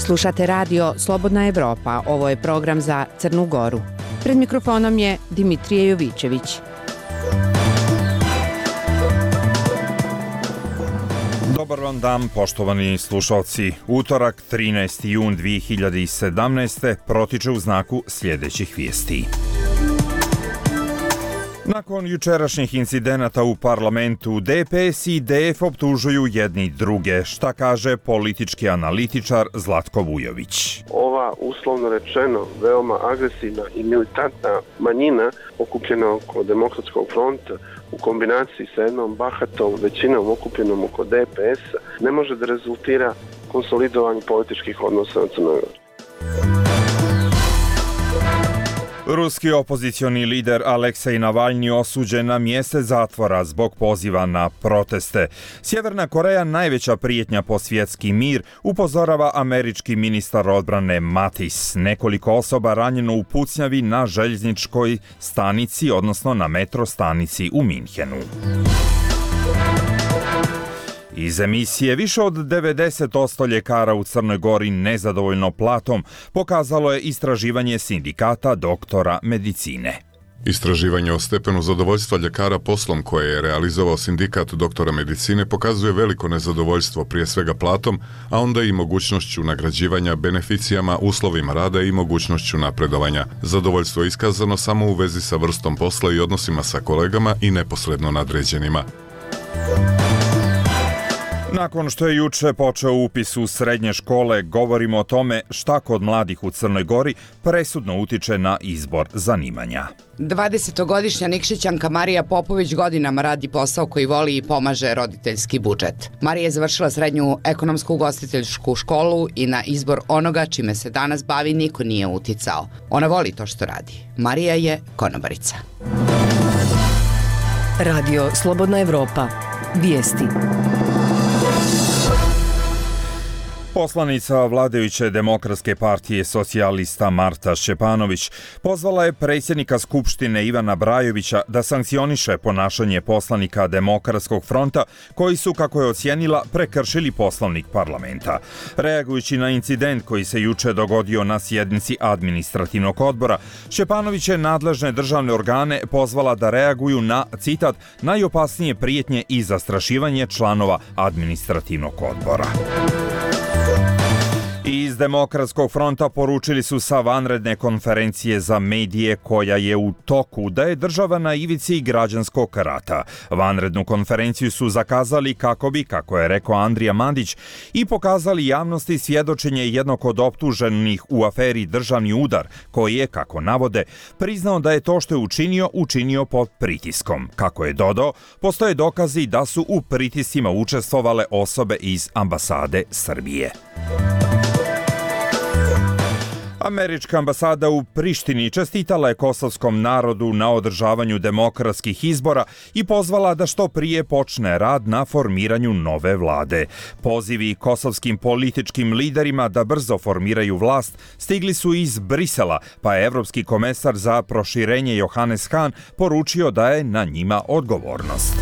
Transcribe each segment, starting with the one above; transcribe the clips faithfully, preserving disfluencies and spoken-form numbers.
Slušate radio Slobodna Evropa, ovo je program za Crnu Goru. Pred mikrofonom je Dimitrije Jovićević. Dobar vam dan, poštovani slušalci. Utorak, trinaesti jun dve hiljade sedamnaeste. protiče u znaku sljedećih vijesti. Nakon jučerašnjih incidenata u parlamentu, D P S i D F optužuju jedni druge. Šta kaže politički analitičar Zlatko Vujović? Ova, uslovno rečeno, veoma agresivna i militantna manjina okupljena oko Demokratskog fronta u kombinaciji sa jednom bahatom većinom okupljenom oko D P S ne može da rezultira konsolidovanju političkih odnosa na Crnoj Gori. Ruski opozicioni lider Aleksej Navalni osuđen na mjesec zatvora zbog poziva na proteste. Sjeverna Koreja, najveća prijetnja po svjetski mir, upozorava američki ministar odbrane Mattis. Nekoliko osoba ranjeno u pucnjavi na željezničkoj stanici, odnosno na metro stanici u Minhenu. Iz emisije više od devedeset posto ljekara u Crnoj Gori nezadovoljno platom, pokazalo je istraživanje sindikata doktora medicine. Istraživanje o stepenu zadovoljstva ljekara poslom koje je realizovao sindikat doktora medicine pokazuje veliko nezadovoljstvo prije svega platom, a onda i mogućnošću nagrađivanja beneficijama, uslovima rada i mogućnošću napredovanja. Zadovoljstvo je iskazano samo u vezi sa vrstom posla i odnosima sa kolegama i neposredno nadređenima. Nakon što je juče počeo upis u srednje škole, govorimo o tome šta kod mladih u Crnoj Gori presudno utiče na izbor zanimanja. dvadesetogodišnja Nikšićanka Marija Popović godinama radi posao koji voli i pomaže roditeljski budžet. Marija je završila srednju ekonomsku ugostiteljsku školu i na izbor onoga čime se danas bavi niko nije uticao. Ona voli to što radi. Marija je konobarica. Radio Slobodna Evropa. Vijesti. Poslanica vladajuće Demokratske partije socijalista Marta Šćepanović pozvala je predsjednika Skupštine Ivana Brajovića da sankcioniše ponašanje poslanika Demokratskog fronta koji su, kako je ocijenila, prekršili poslovnik parlamenta. Reagujući na incident koji se juče dogodio na sjednici administrativnog odbora, Šćepanović je nadležne državne organe pozvala da reaguju na, citat, najopasnije prijetnje i zastrašivanje članova administrativnog odbora. Iz Demokratskog fronta poručili su sa vanredne konferencije za medije koja je u toku da je država na ivici građanskog rata. Vanrednu konferenciju su zakazali kako bi, kako je rekao Andrija Mandić, i pokazali javnosti svjedočenje jednog od optuženih u aferi Državni udar, koji je, kako navode, priznao da je to što je učinio, učinio pod pritiskom. Kako je dodao, postoje dokazi da su u pritiscima učestvovale osobe iz ambasade Srbije. Američka ambasada u Prištini čestitala je kosovskom narodu na održavanju demokratskih izbora i pozvala da što prije počne rad na formiranju nove vlade. Pozivi kosovskim političkim liderima da brzo formiraju vlast stigli su iz Brisela, pa je evropski komesar za proširenje Johannes Hahn poručio da je na njima odgovornost.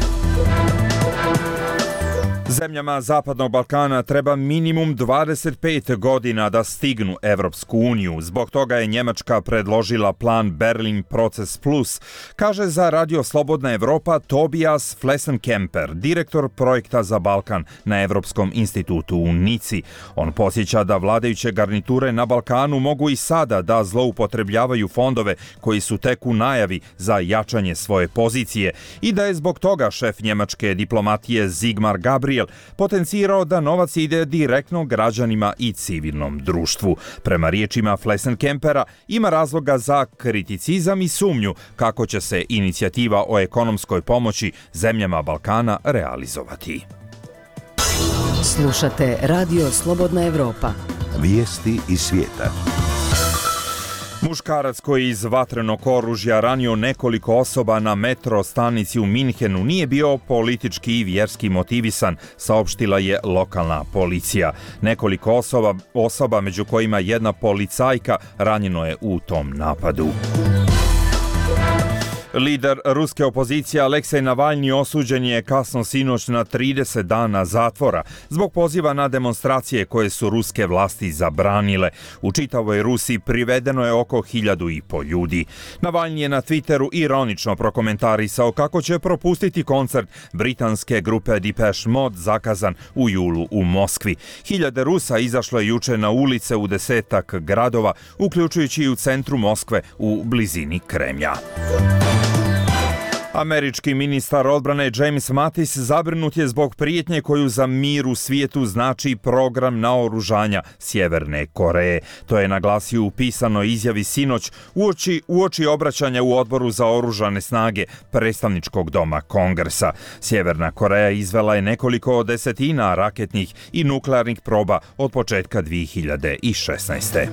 Zemljama Zapadnog Balkana treba minimum dvadeset pet godina da stignu Evropsku uniju. Zbog toga je Njemačka predložila plan Berlin Proces Plus, kaže za Radio Slobodna Evropa Tobias Flessenkemper, direktor projekta za Balkan na Evropskom institutu u Nici. On podsjeća da vladajuće garniture na Balkanu mogu i sada da zloupotrebljavaju fondove koji su tek u najavi za jačanje svoje pozicije i da je zbog toga šef njemačke diplomatije Sigmar Gabriel potencirao da novac ide direktno građanima i civilnom društvu. Prema riječima Flessenkempera ima razloga za kriticizam i sumnju kako će se inicijativa o ekonomskoj pomoći zemljama Balkana realizovati. Slušate Radio Slobodna Evropa. Vijesti iz svijeta. Muškarac koji iz vatrenog oružja ranio nekoliko osoba na metro stanici u Minhenu nije bio politički i vjerski motivisan, saopštila je lokalna policija. Nekoliko osoba, osoba među kojima jedna policajka, ranjeno je u tom napadu. Lider ruske opozicije Aleksej Navalnji osuđen je kasno sinoć na trideset dana zatvora zbog poziva na demonstracije koje su ruske vlasti zabranile. U čitavoj Rusiji privedeno je oko hiljadu i po ljudi. Navalnji je na Twitteru ironično prokomentarisao kako će propustiti koncert britanske grupe Depeche Mode zakazan u julu u Moskvi. Hiljade Rusa izašlo je juče na ulice u desetak gradova, uključujući i u centru Moskve u blizini Kremlja. Američki ministar odbrane James Mattis zabrinut je zbog prijetnje koju za mir u svijetu znači program naoružanja Sjeverne Koreje. To je naglasio u pisanoj izjavi sinoć uoči, uoči obraćanja u odboru za oružane snage predstavničkog doma Kongresa. Sjeverna Koreja izvela je nekoliko desetina raketnih i nuklearnih proba od početka dvije hiljade šesnaeste.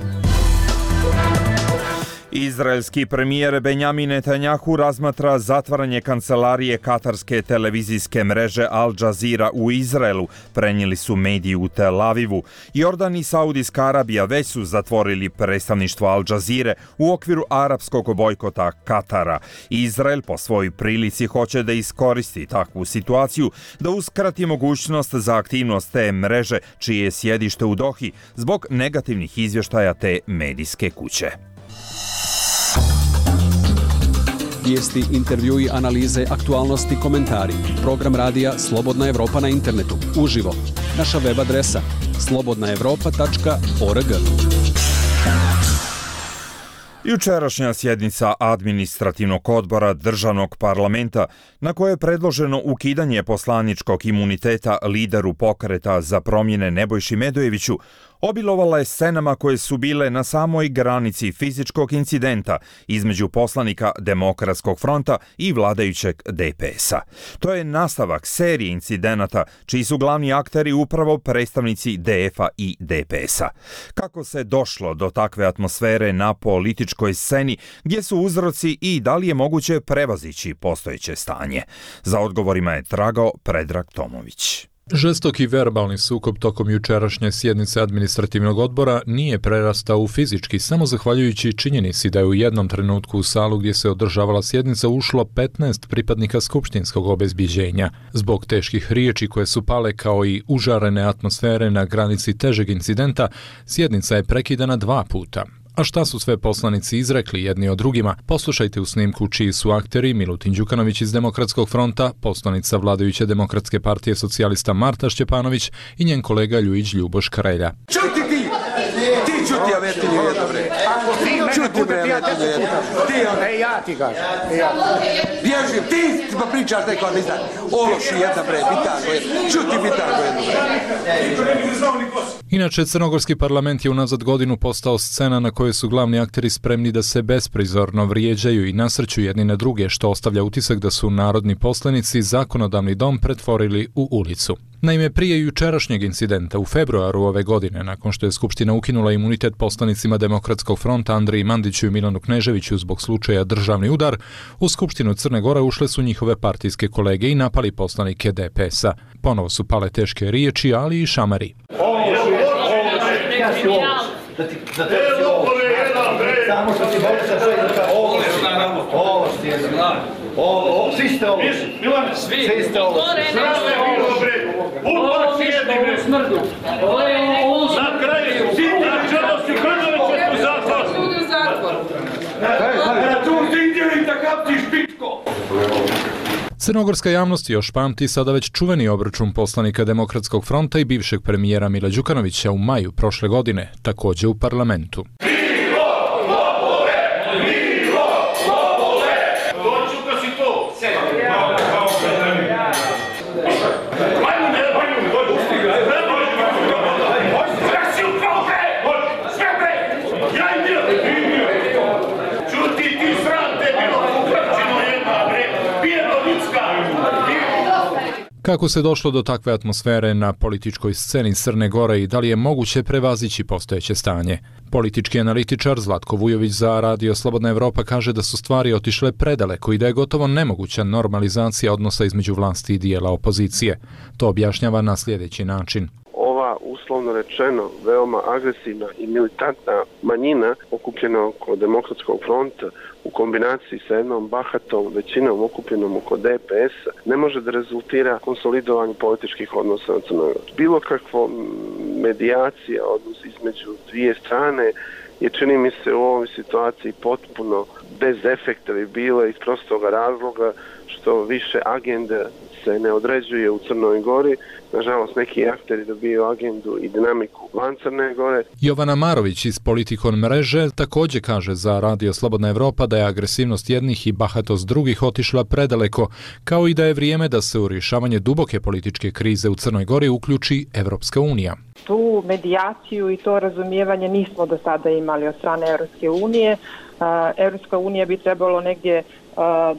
Izraelski premijer Benjamin Netanjahu razmatra zatvaranje kancelarije katarske televizijske mreže Al Jazeera u Izraelu, prenijeli su mediji u Tel Avivu. Jordan i Saudijska Arabija već su zatvorili predstavništvo Al Jazeere u okviru arapskog bojkota Katara. Izrael po svojoj prilici hoće da iskoristi takvu situaciju, da uskrati mogućnost za aktivnost te mreže, čije je sjedište u Dohi, zbog negativnih izvještaja te medijske kuće. Vijesti, intervjui, analize, aktualnosti, komentari. Program radija Slobodna Evropa na internetu. Uživo. Naša web adresa slobodna evropa tačka org. Jučerašnja sjednica administrativnog odbora državnog parlamenta, na koje je predloženo ukidanje poslaničkog imuniteta lideru pokreta za promjene Nebojši Medojeviću, obilovala je scenama koje su bile na samoj granici fizičkog incidenta između poslanika Demokratskog fronta i vladajućeg D P S-a. To je nastavak serije incidenata čiji su glavni akteri upravo predstavnici D F-a i D P S-a. Kako se došlo do takve atmosfere na političkoj sceni, gdje su uzroci i da li je moguće prevazići postojeće stanje? Za odgovorima je tragao Predrag Tomović. Žestoki verbalni sukob tokom jučerašnje sjednice administrativnog odbora nije prerastao u fizički samo zahvaljujući činjenici da je u jednom trenutku u salu gdje se održavala sjednica ušlo petnaest pripadnika skupštinskog obezbiđenja. Zbog teških riječi koje su pale kao i užarene atmosfere na granici težeg incidenta, sjednica je prekidana dva puta. A šta su sve poslanici izrekli jedni o drugima? Poslušajte u snimku čiji su akteri Milutin Đukanović iz Demokratskog fronta, poslanica vladajuće Demokratske partije socijalista Marta Šćepanović i njen kolega Ljujić Ljuboš Karelja. Čuti ti! Ti čuti, avetinju jedno bre! Čuti bre, avetinju jedno! Ti, ej, ja ti kažem! Bježim, ti pa pričaš neko, ne znam, ološi jedna bre, bitango jedno! Čuti bitango jedno bre! Inače, crnogorski parlament je unazad godinu postao scena na kojoj su glavni akteri spremni da se besprizorno vrijeđaju i nasrću jedni na druge, što ostavlja utisak da su narodni poslanici zakonodavni dom pretvorili u ulicu. Naime, prije jučerašnjeg incidenta u februaru ove godine, nakon što je Skupština ukinula imunitet poslanicima Demokratskog fronta Andriji Mandiću i Milanu Kneževiću zbog slučaja državni udar, u Skupštinu Crne Gore ušle su njihove partijske kolege i napali poslanike D P S-a. Ponovo su pale teške riječi, ali i šamari. Da ti da te samo što ti boli sa sve da ovo ovo je ovo svi ste ovo svi ste ovo sve ovo bre ovo sjedi bre smrdu ovo ovo na kraju svi čedosti Krnović u zatvor u zatvor a tu ti ideli takav ti špitko. Crnogorska javnost još pamti sada već čuveni obračun poslanika Demokratskog fronta i bivšeg premijera Mila Đukanovića u maju prošle godine, također u parlamentu. Kako se došlo do takve atmosfere na političkoj sceni Crne Gore i da li je moguće prevazići postojeće stanje? Politički analitičar Zlatko Vujović za Radio Slobodna Evropa kaže da su stvari otišle predaleko i da je gotovo nemoguća normalizacija odnosa između vlasti i dijela opozicije. To objašnjava na sljedeći način. Ova ta, uslovno rečeno, veoma agresivna i militantna manjina okupljena oko Demokratskog fronta u kombinaciji sa jednom bahatom većinom okupljenom oko D P S-a ne može da rezultira konsolidovanju političkih odnosa na Crnoj Gori. Bilo kakvo medijacija, odnos između dvije strane je, čini mi se, u ovoj situaciji potpuno bez efekta bi bila iz prostoga razloga što više agende se ne određuje u Crnoj Gori. Nažalost, neki akteri dobiju agendu i dinamiku van Crne Gore. Jovana Marović iz Politikon mreže također kaže za Radio Slobodna Evropa da je agresivnost jednih i bahatost drugih otišla predaleko, kao i da je vrijeme da se u rješavanje duboke političke krize u Crnoj Gori uključi Evropska unija. Tu medijaciju i to razumijevanje nismo do sada imali od strane Evropske unije. Evropska unija bi trebalo negdje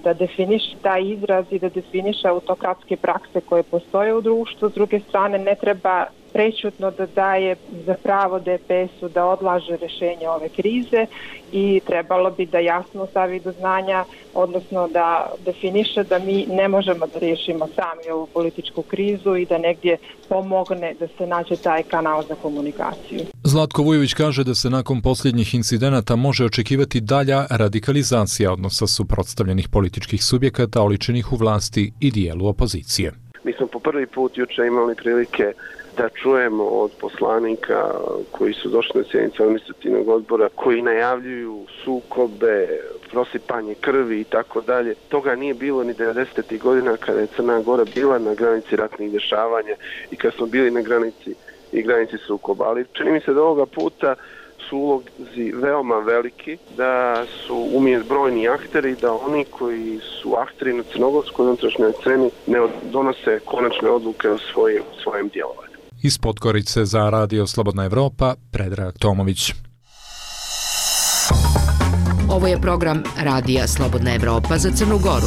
da definiše taj izraz i da definiše autokratske prakse koje postoje u društvu. S druge strane, ne treba prečutno da daje za pravo D P S-u da odlaže rješenje ove krize i trebalo bi da jasno stavi do znanja, odnosno da definiše da mi ne možemo da riješimo sami ovu političku krizu i da negdje pomogne da se nađe taj kanal za komunikaciju. Zlatko Vujović kaže da se nakon posljednjih incidenata može očekivati dalja radikalizacija odnosa suprotstavljenih političkih subjekata oličenih u vlasti i dijelu opozicije. Mi smo po prvi put juče imali prilike da čujemo od poslanika koji su došli na sjednicu administrativnog odbora, koji najavljuju sukobe, prosipanje krvi i tako dalje. Toga nije bilo ni devedesetih godina kada je Crna Gora bila na granici ratnih dešavanja i kada smo bili na granici i granici sukoba. Ali čini mi se da ovoga puta su ulozi veoma veliki, da su umjesto brojni akteri, da oni koji su akteri na crnogorskoj unutrašnjoj sceni ne donose konačne odluke o svojim, svojem djelovanju. Iz Podgorice za Radio Slobodna Evropa, Predrag Tomović. Ovo je program Radija Slobodna Evropa za Crnu Goru.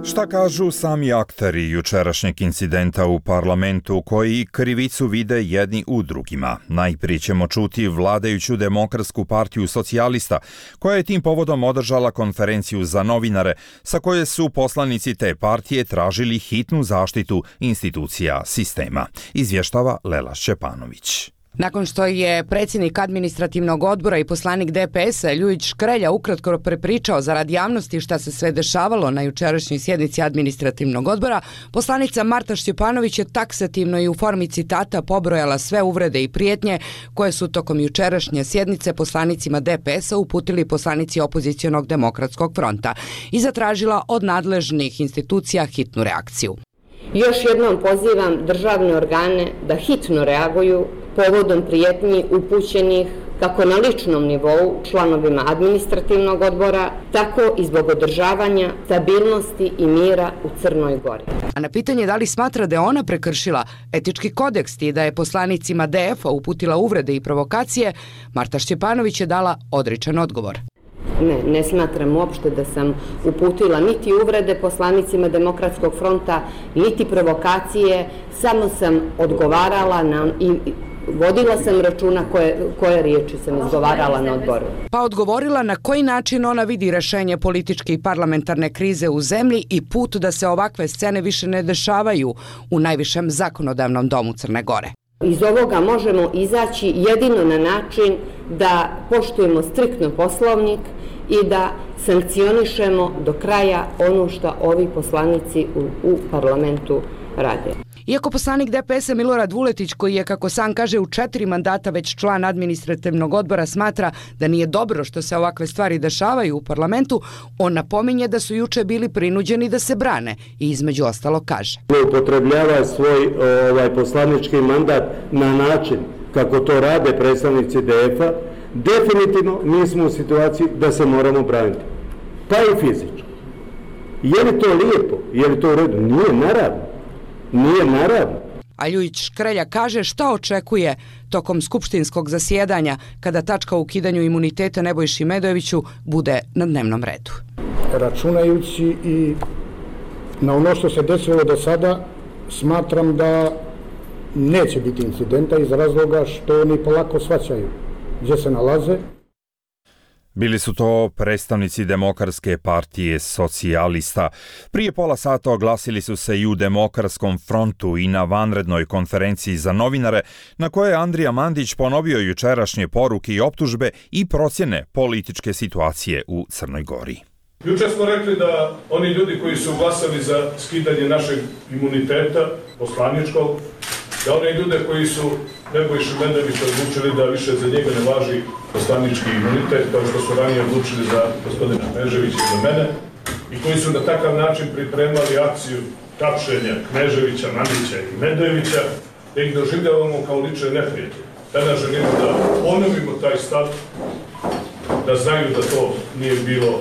Šta kažu sami akteri jučerašnjeg incidenta u parlamentu koji krivicu vide jedni u drugima? Najprije ćemo čuti vladajuću Demokratsku partiju socijalista, koja je tim povodom održala konferenciju za novinare, sa koje su poslanici te partije tražili hitnu zaštitu institucija sistema. Izvještava Lela Šćepanović. Nakon što je predsjednik administrativnog odbora i poslanik D P S-a Ljujić Škrelja ukratko prepričao zarad javnosti šta se sve dešavalo na jučerašnjoj sjednici administrativnog odbora, poslanica Marta Šćepanović je taksativno i u formi citata pobrojala sve uvrede i prijetnje koje su tokom jučerašnje sjednice poslanicima D P S-a uputili poslanici opozicionog Demokratskog fronta i zatražila od nadležnih institucija hitnu reakciju. Još jednom pozivam državne organe da hitno reaguju povodom prijetnji upućenih kako na ličnom nivou članovima administrativnog odbora, tako i zbog održavanja stabilnosti i mira u Crnoj Gori. A na pitanje da li smatra da je ona prekršila etički kodeks i da je poslanicima D F-a uputila uvrede i provokacije, Marta Šćepanović je dala odričan odgovor. Ne, ne smatram uopšte da sam uputila niti uvrede poslanicima Demokratskog fronta, niti provokacije, samo sam odgovarala na, i vodila sam računa koje, koje riječi sam izgovarala na odboru. Pa odgovorila na koji način ona vidi rešenje političke i parlamentarne krize u zemlji i put da se ovakve scene više ne dešavaju u najvišem zakonodavnom domu Crne Gore. Iz ovoga možemo izaći jedino na način da poštujemo striktno Poslovnik i da sankcionišemo do kraja ono što ovi poslanici u, u parlamentu rade. Iako poslanik D P S-a Milorad Vuletić, koji je, kako sam kaže, u četiri mandata već član administrativnog odbora, smatra da nije dobro što se ovakve stvari dešavaju u parlamentu, on napominje da su juče bili prinuđeni da se brane i između ostalo kaže. Upotrebljava svoj ovaj, poslanički mandat na način kako to rade predstavnici D F-a, definitivno mi smo u situaciji da se moramo braniti. Pa i fizički. Je li to lijepo? Je li to u redu? Nije, naravno. Nije naravno. A Ljujić Škrelja kaže šta očekuje tokom skupštinskog zasjedanja kada tačka o ukidanju imuniteta Nebojši Medojeviću bude na dnevnom redu. Računajući i na ono što se desilo do sada, smatram da neće biti incidenta iz razloga što oni polako shvaćaju gdje se nalaze. Bili su to predstavnici Demokratske partije socijalista. Prije pola sata oglasili su se i u Demokratskom frontu i na vanrednoj konferenciji za novinare, na kojoj je Andrija Mandić ponovio jučerašnje poruke i optužbe i procjene političke situacije u Crnoj Gori. Juče smo rekli da oni ljudi koji su glasali za skidanje našeg imuniteta poslaničkog, da one ljude koji su Nebojšu Medovića odlučili da više za njega ne važi poslanički imunitet, kao što su ranije odlučili za gospodina Kneževića i za mene, i koji su na takav način pripremali akciju tapšenja Kneževića, Mandića i Medovića, da ih doživljavamo kao lične neprijatelje. Danas želimo da ponovimo taj stav, da znaju da to nije bilo,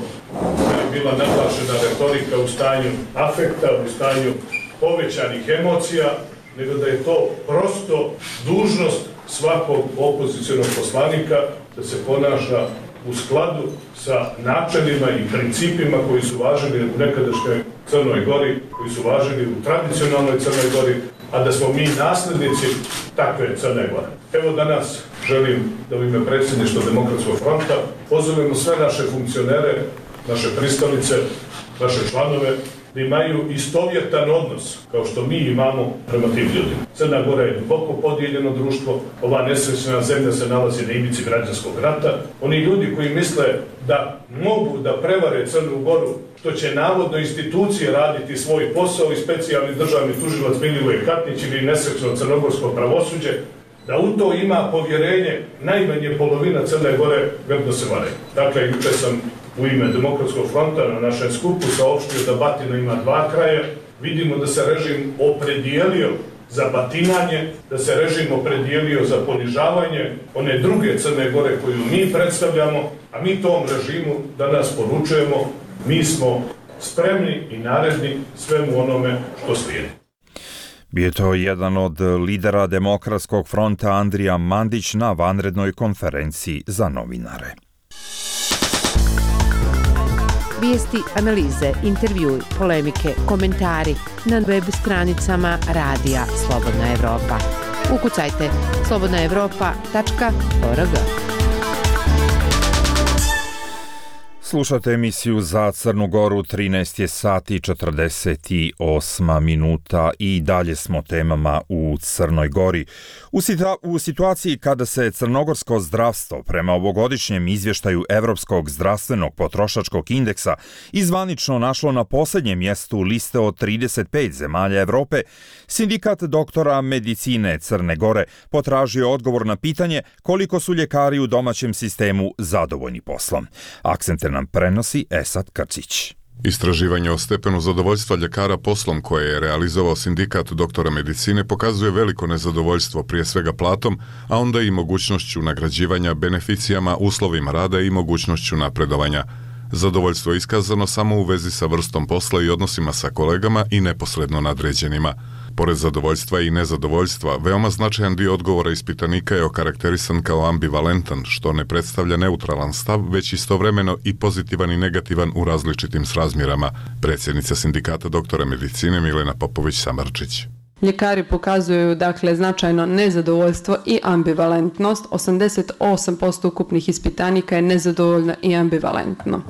da je bila naglašena retorika u stanju afekta, u stanju povećanih emocija, nego da je to prosto dužnost svakog opozicionog poslanika da se ponaša u skladu sa načelima i principima koji su važili u nekadašnjoj Crnoj Gori, koji su važili u tradicionalnoj Crnoj Gori, a da smo mi naslednici takve Crne Gore. Evo danas želim da u ime predsjedništva Demokratskog fronta pozovemo sve naše funkcionere, naše pristalice, naše članove, da imaju istovjetan odnos, kao što mi imamo prema tim ljudima. Crna Gora je duboko podijeljeno društvo, ova nesrećna zemlja se nalazi na ivici građanskog rata. Oni ljudi koji misle da mogu da prevare Crnu Goru, što će navodno institucije raditi svoj posao i specijalni državni tužilac Milivoje Katnić ili nesrećno crnogorsko pravosuđe, da u to ima povjerenje najmanje polovina Crne Gore, grdno se vare. Dakle, juče sam u ime Demokratskog fronta na našem skupu saopštio da batina ima dva kraja. Vidimo da se režim opredijelio za batinanje, da se režim opredijelio za ponižavanje one druge Crne Gore koju mi predstavljamo, a mi tom režimu danas poručujemo, mi smo spremni i naredni svemu onome što slijedi. Bio je to jedan od lidera Demokratskog fronta Andrija Mandić na vanrednoj konferenciji za novinare. Vijesti, analize, intervjui, polemike, komentari na web stranicama Radija Slobodna Evropa. Ukucajte slobodna evropa tačka org. Slušate emisiju za Crnu Goru, trinaest je sati četrdeset osam minuta i dalje smo temama u Crnoj Gori. U, situa- u situaciji kada se crnogorsko zdravstvo prema ovogodišnjem izvještaju Evropskog zdravstvenog potrošačkog indeksa izvanično našlo na posljednjem mjestu liste od trideset pet zemalja Evrope, Sindikat doktora medicine Crne Gore potražio odgovor na pitanje koliko su ljekari u domaćem sistemu zadovoljni poslom. Akcente nam prenosi Esad Krcić. Istraživanje o stepenu zadovoljstva ljekara poslom koje je realizovao Sindikat doktora medicine pokazuje veliko nezadovoljstvo prije svega platom, a onda i mogućnošću nagrađivanja beneficijama, uslovima rada i mogućnošću napredovanja. Zadovoljstvo je iskazano samo u vezi sa vrstom posla i odnosima sa kolegama i neposredno nadređenima. Pored zadovoljstva i nezadovoljstva, veoma značajan dio odgovora ispitanika je okarakterisan kao ambivalentan, što ne predstavlja neutralan stav, već istovremeno i pozitivan i negativan u različitim srazmjerama. Predsjednica Sindikata doktora medicine Milena Popović-Samarčić. Ljekari pokazuju dakle značajno nezadovoljstvo i ambivalentnost. osamdeset osam posto ukupnih ispitanika je nezadovoljno i ambivalentno.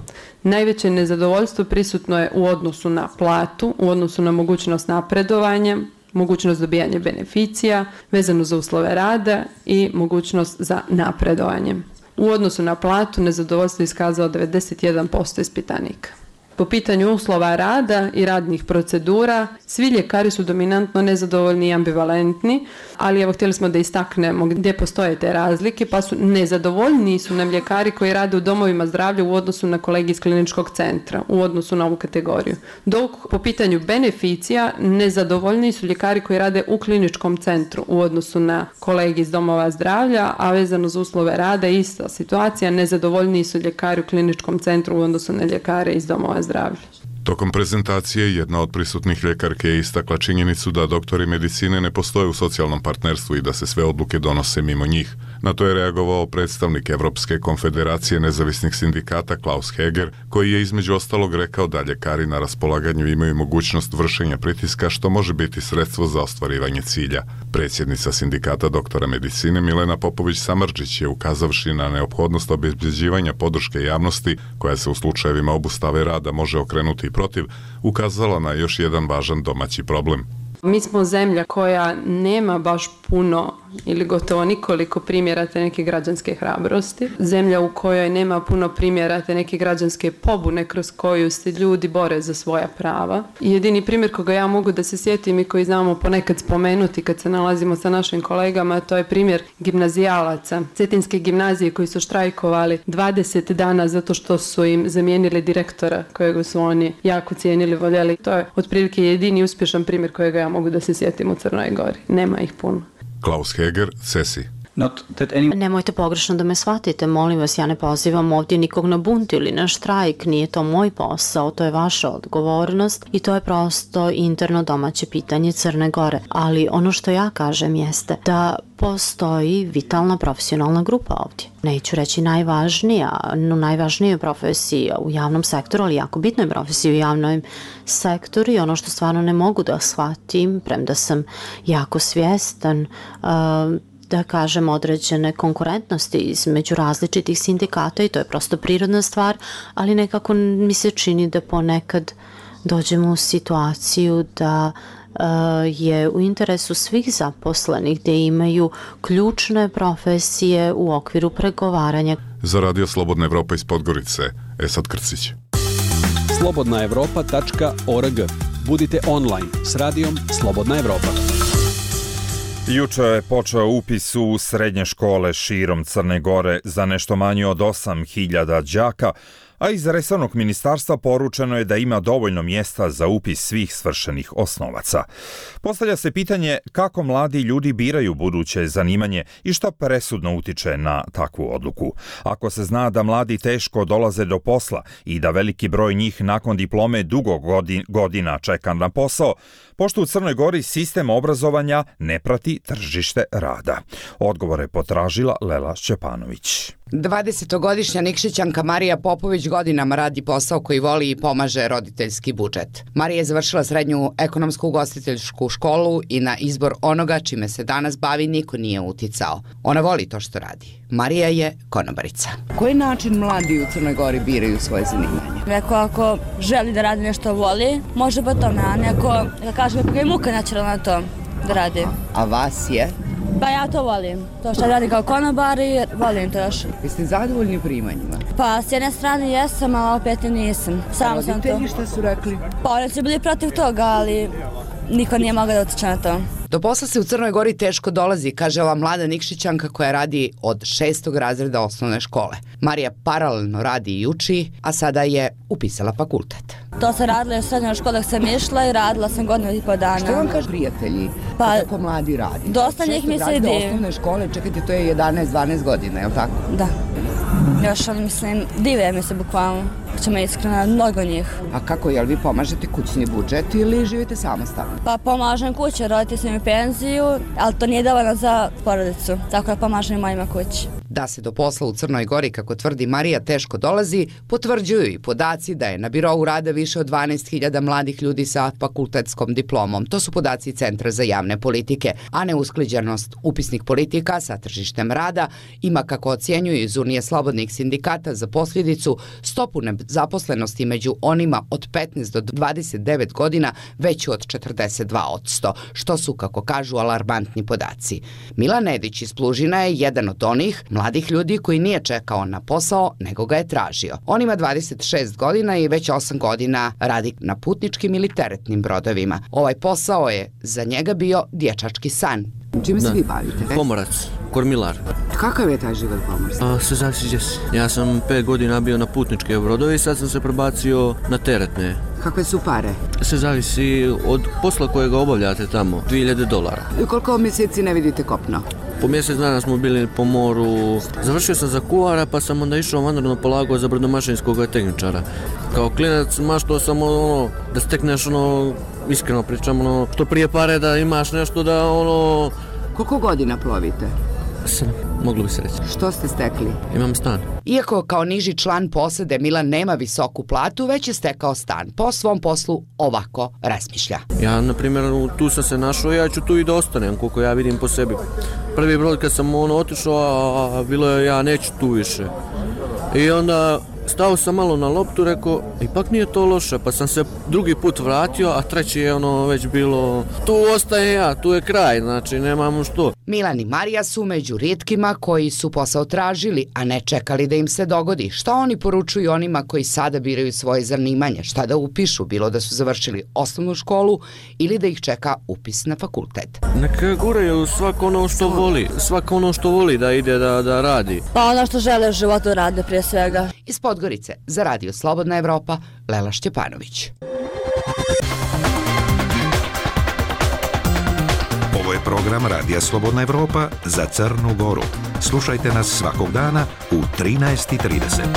Najveće nezadovoljstvo prisutno je u odnosu na platu, u odnosu na mogućnost napredovanja, mogućnost dobijanja beneficija, vezano za uslove rada i mogućnost za napredovanje. U odnosu na platu nezadovoljstvo je iskazao devedeset jedan posto ispitanika. Po pitanju uslova rada i radnih procedura, svi ljekari su dominantno nezadovoljni i ambivalentni, ali evo htjeli smo da istaknemo gdje postoje te razlike, pa su nezadovoljni su nam ljekari koji rade u domovima zdravlja u odnosu na kolege iz kliničkog centra, u odnosu na ovu kategoriju. Dok po pitanju beneficija, nezadovoljni su ljekari koji rade u kliničkom centru u odnosu na kolege iz domova zdravlja, a vezano za uslove rada ista situacija, nezadovoljni su ljekari u kliničkom centru u odnosu na ljekare iz domova zdravlja. Tokom prezentacije jedna od prisutnih ljekarke je istakla činjenicu da doktori medicine ne postoje u socijalnom partnerstvu i da se sve odluke donose mimo njih. Na to je reagovao predstavnik Evropske konfederacije nezavisnih sindikata Klaus Heger, koji je između ostalog rekao da ljekari na raspolaganju imaju mogućnost vršenja pritiska, što može biti sredstvo za ostvarivanje cilja. Predsjednica sindikata doktora medicine Milena Popović-Samardžić je, ukazavši na neophodnost obezbeđivanja podrške javnosti, koja se u slučajevima obustave rada može okrenuti protiv, ukazala na još jedan važan domaći problem. Mi smo zemlja koja nema baš puno ili gotovo nikoliko primjera te neke građanske hrabrosti. Zemlja u kojoj nema puno primjera te neke građanske pobune kroz koju se ljudi bore za svoja prava. I jedini primjer koga ja mogu da se sjetim i koji znamo ponekad spomenuti kad se nalazimo sa našim kolegama, to je primjer gimnazijalaca Cetinske gimnazije koji su štrajkovali dvadeset dana zato što su im zamijenili direktora kojega su oni jako cijenili, voljeli. To je otprilike jedini uspješan primjer kojega ja mogu da se sjetim u Crnoj Gori. Nema ih puno. Klaus Heger, Cesi. Nemojte pogrešno da me shvatite, molim vas, ja ne pozivam ovdje nikog na bunt ili na štrajk, nije to moj posao, to je vaša odgovornost i to je prosto interno domaće pitanje Crne Gore. Ali ono što ja kažem jeste da postoji vitalna profesionalna grupa ovdje. Neću reći najvažnija, no najvažnija profesija u javnom sektoru, ali jako bitna je profesija u javnom sektoru i ono što stvarno ne mogu da shvatim, premda sam jako svjestan, uh, da kažem, određene konkurentnosti između različitih sindikata i to je prosto prirodna stvar, ali nekako mi se čini da ponekad dođemo u situaciju da uh, je u interesu svih zaposlenih da imaju ključne profesije u okviru pregovaranja. Za Radio Slobodna Evropa iz Podgorice, Esad Krcić. slobodna evropa tačka org. Budite online s radijom Slobodna Evropa. Juče je počeo upis u srednje škole širom Crne Gore za nešto manje od osam hiljada đaka, a iz resornog ministarstva poručeno je da ima dovoljno mjesta za upis svih svršenih osnovaca. Postavlja se pitanje kako mladi ljudi biraju buduće zanimanje i šta presudno utiče na takvu odluku. Ako se zna da mladi teško dolaze do posla i da veliki broj njih nakon diplome dugo godina čeka na posao, pošto u Crnoj Gori sistem obrazovanja ne prati tržište rada. Odgovor je potražila Lela Šćepanović. dvadesetogodišnja Nikšićanka Marija Popović godinama radi posao koji voli i pomaže roditeljski budžet. Marija je završila srednju ekonomsku ugostiteljsku školu i na izbor onoga čime se danas bavi niko nije uticao. Ona voli to što radi. Marija je konobarica. Koji način mladi u Crnoj Gori biraju svoje zanimanje? Neko ako želi da radi nešto voli, može pa tome, a neko, da kažem, ga je muka načela na to da radi. A vas je? Pa ja to volim. To što radim kao konobar i volim to još. Jeste zadovoljni primanjima? Pa s jedne strane jesam, a opet nisam. Samo sam to. Roditelji šta su rekli? Pa oni su bili protiv toga, ali niko nije mogao da utiče na to. Do posla se u Crnoj Gori teško dolazi, kaže ova mlada Nikšićanka koja radi od šestog razreda osnovne škole. Marija paralelno radi i uči, a sada je upisala fakultet. To sam radila u srednjoj školi dok sam išla i radila sam godinu i po dana. Što vam kaže prijatelji pa, kako mladi radi? Dosta njih mi se vidi. ide. Osnovne škole, čekajte, to je jedanaest dvanaest godina, je li tako? Da. Još ono, mislim, dive mi se bukvalno. Ćemo iskreno, mnogo njih. A kako, jel vi pomažete kućni budžet ili živite samostalno? Pa pomažem kući, roditelji su mi penziju, ali to nije dovoljno za porodicu, tako da pomažem i mojima kući. Da se do posla u Crnoj Gori, kako tvrdi Marija, teško dolazi, potvrđuju i podaci da je na birou rada više od dvanaest hiljada mladih ljudi sa fakultetskom diplomom. To su podaci Centra za javne politike, a neusklađenost upisnih politika sa tržištem rada ima, kako ocjenjuju iz Unije slobodnih sindikata, za posljedicu stopu nezaposlenosti među onima od petnaest do dvadeset devet godina veću od četrdeset dva posto, što su, kako kažu, alarmantni podaci. Milan Nedić iz Plužina je jedan od onih mladih ljudi koji nije čekao na posao, nego ga je tražio. On ima dvadeset šest godina i već osam godina radi na putničkim ili teretnim brodovima. Ovaj posao je za njega bio dječački san. Čime se vi bavite? Pomorac, kormilar. Kakav je taj život pomorstva? Sve zavisi gdje si. Ja sam pet godina bio na putničke brodove i sad sam se prebacio na teretne. Kakve su pare? Sve zavisi od posla kojega obavljate tamo, dvije hiljade dolara. I koliko mjeseci ne vidite kopno? Po mjesec dana smo bili po moru. Završio sam za kuhara pa sam onda išao vanredno polagao za brodomašinskog tehničara. Kao klinac maštao sam ono, da stekneš ono, iskreno pričam, ono, što prije pare da imaš nešto da ono... Koliko godina plovite? Sedam. moglo bi se reći. Što ste stekli? Imam stan. Iako kao niži član posade Milan nema visoku platu, već je stekao stan. Po svom poslu ovako razmišlja. Ja, na primjer, tu sam se našao, ja ću tu i da ostanem, koliko ja vidim po sebi. Prvi brod kad sam ono otišao, a bilo je ja neću tu više. I onda stao sam malo na loptu, rekao, ipak nije to loše, pa sam se drugi put vratio, a treći je ono već bilo, tu ostaje ja, tu je kraj, znači nemamo što. Milan i Marija su među rijetkima koji su posao tražili, a ne čekali da im se dogodi. Šta oni poručuju onima koji sada biraju svoje zanimanje, šta da upišu, bilo da su završili osnovnu školu ili da ih čeka upis na fakultet. Neka guraju svako ono što voli, svako ono što voli da ide da, da radi. Pa ono što žele u životu rade prije svega. Iz Podgorice za Radio Slobodna Evropa, Lela Šćepanović. Ovo je program Radija Slobodna Evropa za Crnu Goru. Slušajte nas svakog dana u trinaest i trideset.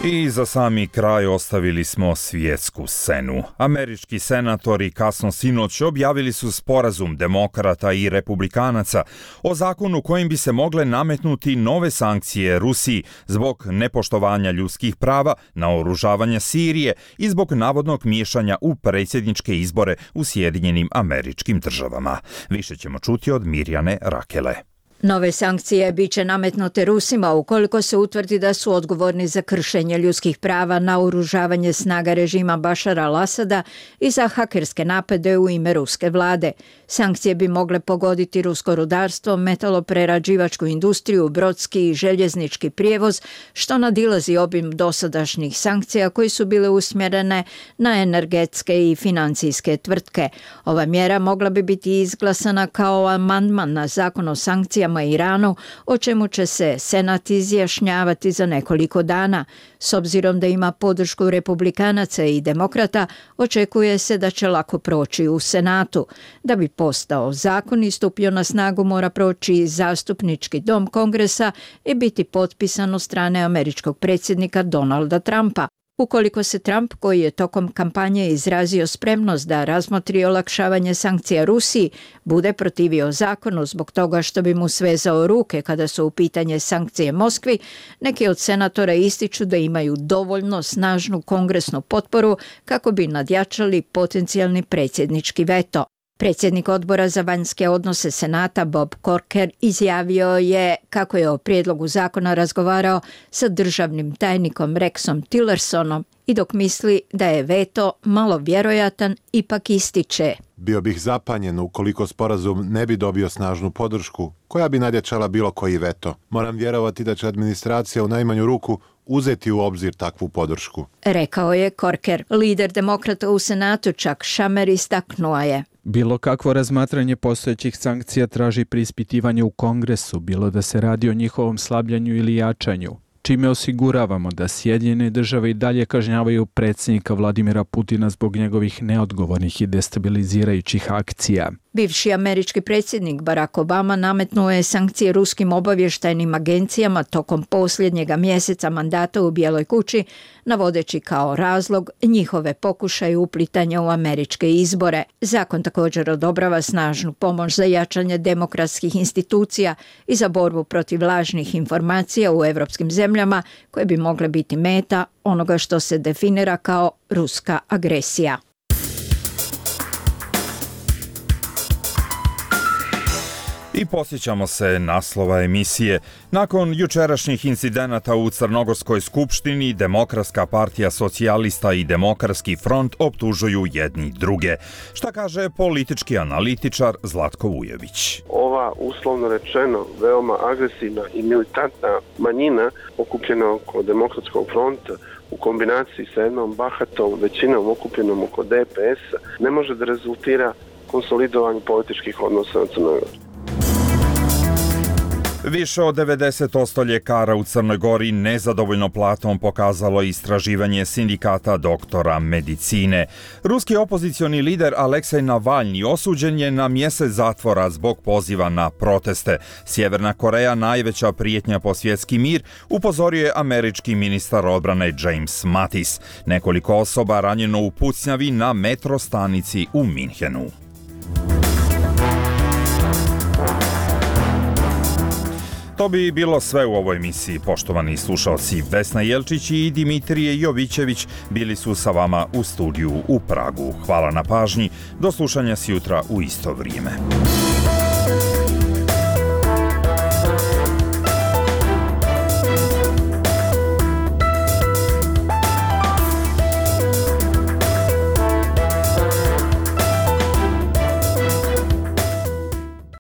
I za sami kraj ostavili smo svjetsku scenu. Američki senatori kasno sinoć objavili su sporazum demokrata i republikanaca o zakonu kojim bi se mogle nametnuti nove sankcije Rusiji zbog nepoštovanja ljudskih prava, naoružavanja Sirije i zbog navodnog miješanja u predsjedničke izbore u Sjedinjenim Američkim Državama. Više ćemo čuti od Mirjane Rakele. Nove sankcije bit će nametnute Rusima ukoliko se utvrdi da su odgovorni za kršenje ljudskih prava, naoružavanje snaga režima Bašara al-Asada i za hakerske napade u ime ruske vlade. Sankcije bi mogle pogoditi rusko rudarstvo, metaloprerađivačku industriju, brodski i željeznički prijevoz, što nadilazi obim dosadašnjih sankcija koji su bile usmjerene na energetske i financijske tvrtke. Ova mjera mogla bi biti izglasana kao amandman na zakon o sankcijama Iranu, o čemu će se Senat izjašnjavati za nekoliko dana. S obzirom da ima podršku republikanaca i demokrata, očekuje se da će lako proći u Senatu. Da bi postao zakon i stupio na snagu, mora proći zastupnički dom Kongresa i biti potpisan od strane američkog predsjednika Donalda Trumpa. Ukoliko se Trump, koji je tokom kampanje izrazio spremnost da razmotri olakšavanje sankcija Rusiji, bude protivio zakonu zbog toga što bi mu svezao ruke kada su u pitanje sankcije Moskvi, neki od senatora ističu da imaju dovoljno snažnu kongresnu potporu kako bi nadjačali potencijalni predsjednički veto. Predsjednik odbora za vanjske odnose Senata Bob Corker izjavio je kako je o prijedlogu zakona razgovarao sa državnim tajnikom Rexom Tillersonom i dok misli da je veto malo vjerojatan, ipak ističe. Bio bih zapanjen ukoliko sporazum ne bi dobio snažnu podršku, koja bi nadjačala bilo koji veto. Moram vjerovati da će administracija u najmanju ruku uzeti u obzir takvu podršku. Rekao je Corker. Lider demokrata u Senatu Chuck Schumer istaknuo je. Bilo kakvo razmatranje postojećih sankcija traži preispitivanje u Kongresu, bilo da se radi o njihovom slabljanju ili jačanju, čime osiguravamo da Sjedinjene države i dalje kažnjavaju predsjednika Vladimira Putina zbog njegovih neodgovornih i destabilizirajućih akcija. Bivši američki predsjednik Barack Obama nametnuo je sankcije ruskim obavještajnim agencijama tokom posljednjega mjeseca mandata u Bijeloj kući, navodeći kao razlog njihove pokušaje uplitanja u američke izbore. Zakon također odobrava snažnu pomoć za jačanje demokratskih institucija i za borbu protiv lažnih informacija u evropskim zemljama koje bi mogle biti meta onoga što se definira kao ruska agresija. I posjećamo se naslova emisije. Nakon jučerašnjih incidenata u Crnogorskoj skupštini, Demokratska partija socijalista i Demokratski front optužuju jedni druge. Šta kaže politički analitičar Zlatko Vujević? Ova, uslovno rečeno, veoma agresivna i militantna manjina okupljena oko Demokratskog fronta u kombinaciji sa jednom bahatom većinom okupljenom oko D P S ne može da rezultira konsolidovanju političkih odnosa na Crnoj Gori. Više od devedeset posto ljekara u Crnoj Gori nezadovoljno platom pokazalo istraživanje sindikata doktora medicine. Ruski opozicioni lider Aleksej Navalni osuđen je na mjesec zatvora zbog poziva na proteste. Sjeverna Koreja, najveća prijetnja po svjetski mir, upozorio je američki ministar odbrane James Mattis. Nekoliko osoba ranjeno u pucnjavi na metro stanici u Minhenu. To bi bilo sve u ovoj emisiji, poštovani slušalci. Vesna Jelčić i Dimitrije Jovićević bili su sa vama u studiju u Pragu. Hvala na pažnji, do slušanja sjutra u isto vrijeme.